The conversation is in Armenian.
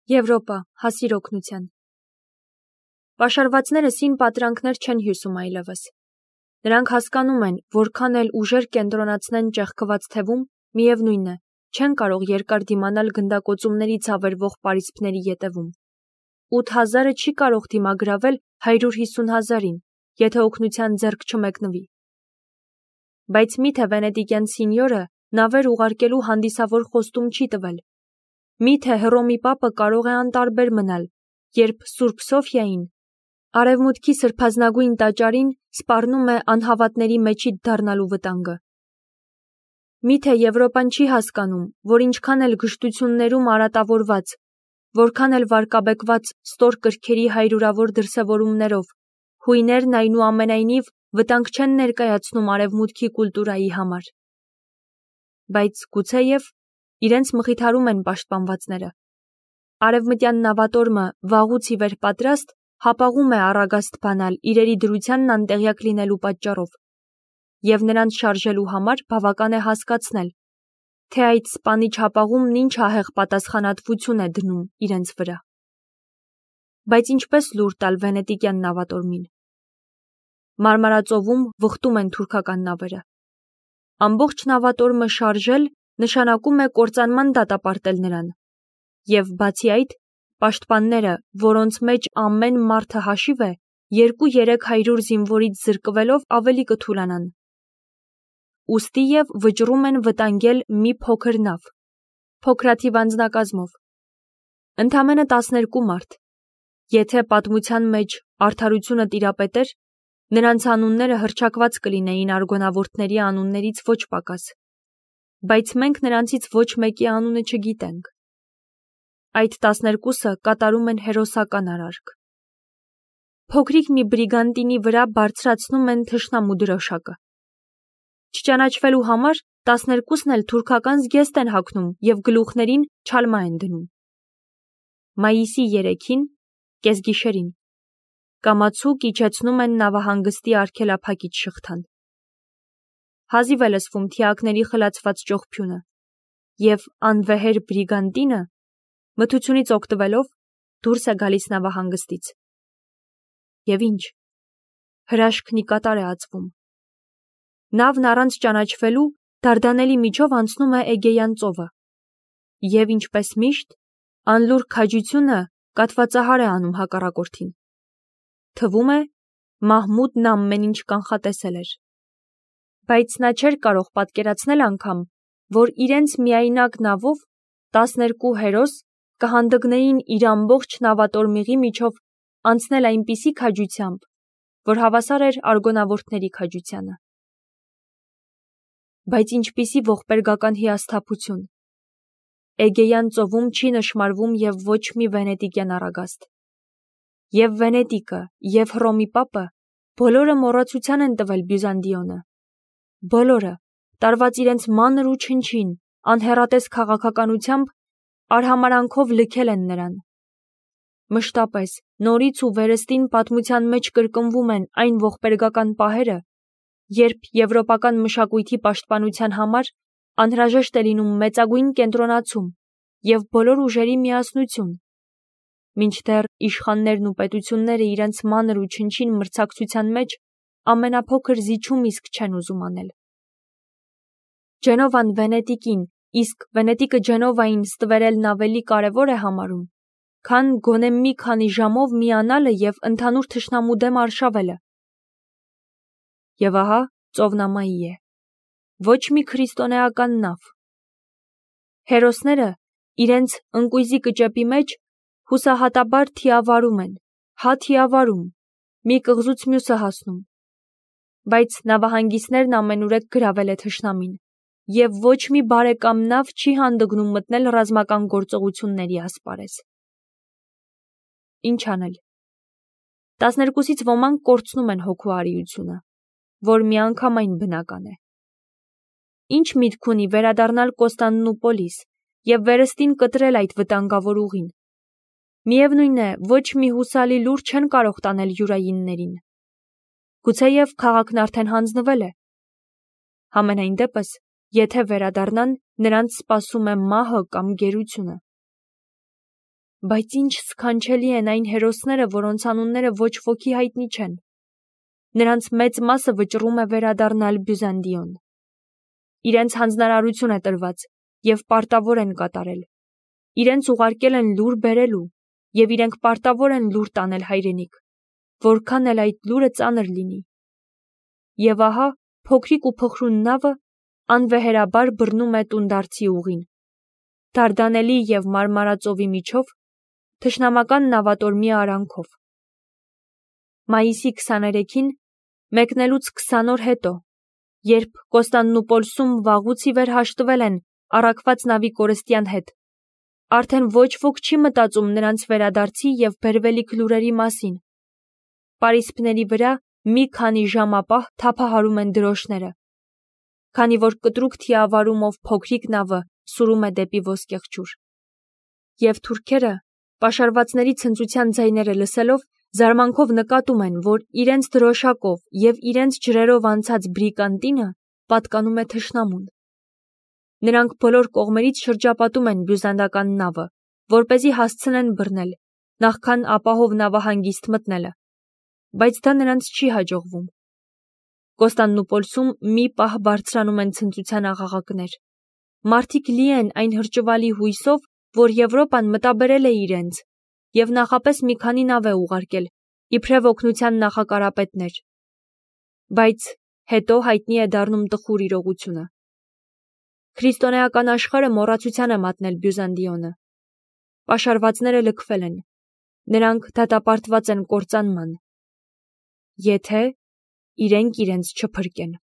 Եվրոպա, հասիր օգնության։ Պաշարվածները սին պատրանքներ չեն հյուսում այլևս։ Նրանք հասկանում են, որքան էլ ուժեր կենտրոնացնեն ճեղքված թևում, միևնույն է, չեն կարող երկար դիմանալ գնդակոծումների ցավերվող պարիսպների ետևում։ 8000-ը չի կարող դիմագրավել 150,000-ին, եթե օգնության ձեռք չմեկնվի։ Բայց միթե վենետիկյան սինյորը նավեր ուղարկելու հանդիսավոր խոստում չի տվել։ Միթե Հռոմի պապը կարող է անտարբեր մնալ, երբ Սուրբ Սոֆիային, արևմուտքի սրբազնագույն տաճարին, սպառնում է անհավատների մեջիդ դառնալու վտանգը։ Միթե Եվրոպան չի հասկանում, որ ինչքան էլ գժտություններում արատավորված, որքան էլ վարկաբեկված ստոր կրքերի հայրուրավոր դրսևորումներով, հույներն այնուամենայնիվ վտանգ չեն ներկայացնում արևմուտքի կուլտուրայի համար։ Բայց գուցեև իրենց մխիթարում են պաշտպանվածները։ Արևմտյան նավատորմը վաղուց ի վեր պատրաստ հապաղում է առագաստ բանալ իրերի դրությանն անտեղյակ լինելու պատճառով, և նրանց շարժելու համար բավական է հասկացնել, թե այդ սպանիչ հապաղումն ինչ ահեղ պատասխանատվություն է դնում իրենց վրա։ Բայց ինչպես լուր տալ վենետիկյան նավատորմին։ Մարմարածովում վխտում են թուրքական նավերը։ Ամբողջ նավատորմը շարժել նշանակում է կործանման դատապարտել նրան, և բացի այդ, պաշտպանները, որոնց մեջ ամեն մարդը հաշիվ է, 200-300 զինվորից զրկվելով ավելի կթուլանան։ Ուստի և վճռում են վտանգել մի փոքր նավ, փոքրաթիվ անձնակազմով։ Ընդամենը 12 մարդ։ Եթե պատմության մեջ արդարությունը տիրապետեր, նրանց անունները հռչակված կլինեին արգոնավորտների անուններից ոչ պակաս, բայց մենք նրանցից ոչ մեկի անունը չգիտենք։ Այդ 12-ը կատարում են հերոսական արարք։ Փոքրիկ մի բրիգանտինի վրա բարձրացնում են թշնամու դրոշակը։ Չճանաչվելու համար 12-ն էլ թուրքական զգեստ են հագնում և գլուխներին չալմա են դնում։ Մայիսի 3-ին, կեսգիշերին, կամացուկ իջեցնում են նավահանգստի արգելափակիչ շղթան։ Հազիվ է լսվում թիակների խլացված ճողփյունը, և անվեհեր բրիգանտինը, մթությունից օգտվելով, դուրս է գալիս նավահանգստից։ Եվ ինչ, հրաշքն ի կատար է ածվում։ Նավն առանց ճանաչվելու դարդանելի միջով անցնում է Էգեյան ծովը, և ինչպես միշտ, անլուր քաջությունը կաթվածահար է անում հակառակորդին։ Թվում է, Մահմուդն ամեն ինչ կանխատեսել էր։ Բայց նա չէր կարող պատկերացնել անգամ, որ իրենց միայնակ նավով 12 հերոս կհանդգնեին իր ամբողջ նավատորմիղի միջով անցնել այնպիսի քաջությամբ, որ հավասար էր արգոնավորտների քաջությանը։ Բայց ինչպիսի ողբերգական հիասթափություն։ Էգեյան ծովում չի նշմարվում և ոչ մի վենետիկյան առագաստ։ Եվ Վենետիկը, և Հռոմի պապը բոլորը մոռացության են տվել Բյուզանդիոնը։ Բոլորը, տարված իրենց մանր ու չնչին, անհեռատես քաղաքականությամբ, արհամարանքով լքել են նրան։ Մշտապես, նորից ու վերստին պատմության մեջ կրկնվում են այն ողբերգական պահերը, երբ եվրոպական մշակույթի պաշտպանության համար անհրաժեշտ է լինում մեծագույն կենտրոնացում և բոլոր ուժերի միասնություն, մինչդեռ իշխաններն ու պետությունները իրենց մանր ու չնչին մրցակցության մեջ ամենափոքր զիջում իսկ չեն ուզում անել։ Ջենովան Վենետիկին, իսկ Վենետիկը Ջենովային ստվերելն ավելի կարևոր է համարում, քան գոնե մի քանի ժամով միանալը և ընդհանուր թշնամու դեմ արշավելը։ Եվ ահա ծովնամայի է։ Ոչ մի քրիստոնեական նավ։ Հերոսները իրենց ընկույզի կճեպի մեջ հուսահատաբար թիավարում են, թիավարում, մի կղզուց մյուսը հասնում։ Բայց նավահանգիստներն ամենուրեք գրավել է թշնամին, և ոչ մի բարեկամ նավ չի հանդգնում մտնել ռազմական գործողությունների ասպարեզ։ Ինչ անել։ 12-ից ոմանք կորցնում են հոգու արիությունը, որ միանգամայն բնական է։ Ինչ միտք ունի վերադառնալ Կոստանդնուպոլիս և վերստին կտրել այդ վտանգավոր ուղին։ Միևնույն է, ոչ մի հուսալի լուր չեն կարող տանել յուրայիններին։ Գուցեև քաղաքն արդեն հանձնվել է։ Համենայն դեպս, եթե վերադառնան, նրանց սպասում է մահը կամ գերությունը։ Բայց ինչ սքանչելի են այն հերոսները, որոնց անունները ոչ ոքի հայտնի չեն։ Նրանց մեծ մասը վճռում է վերադառնալ Բյուզանդիոն։ Իրենց հանձնարարություն է տրված և պարտավոր են կատարել։ Իրենց ուղարկել են լուր բերելու և իրենք պարտավոր են լուր տանել հայրենիք, որքան էլ այդ լուրը ծանր լինի։ Եվ ահա փոքրիկ ու փխրուն նավը անվեհերաբար բռնում է տունդարձի ուղին։ Դարդանելի և Մարմարածովի միջով, թշնամական նավատորմի արանքով։ Մայիսի 23-ին, մեկնելուց 20 օր հետո, երբ Կոստանդնուպոլսում վաղուց ի վեր հաշտվել են առաքված նավի կորստյան հետ, արդեն ոչ ոք չի մտածում նրանց վերադարձի և բերվելիք լուրերի մասին։ Պարիսպների վրա մի քանի ժամապահ թափահարում են դրոշները, քանի որ կտրուկ թիավարումով փոքրիկ նավը սուրում է դեպի ոսկեղջյուր։ Եվ թուրքերը, պաշարվածների ցնծության ձայները լսելով, զարմանքով նկատում են, որ իրենց դրոշակով և իրենց ջրերով անցած բրիկանտինը պատկանում է թշնամուն։ Նրանք բոլոր կողմերից շրջապատում են բյուզանդական նավը, որպեսզի հասցնեն բռնել, նախքան ապահով նավահանգիստ մտնելը, բայց դա նրանց չի հաջողվում։ Կոստանդնուպոլսում մի պահ բարձրանում են ցնծության աղաղակներ։ Մարդիկ լի են այն հրճվալի հույսով, որ Եվրոպան մտաբերել է իրենց և նախապես մի քանի նավ է ուղարկել, իբրև օգնության նախակարապետներ։ Բայց հետո հայտնի է դառնում տխուր իրողությունը։ Քրիստոնեական աշխարհը մոռացության է մատնել Բյուզանդիոնը։ Պաշարվածները լքվել են։ Նրանք դատապարտված են կործանման, եթե իրենք իրենց չփրկեն։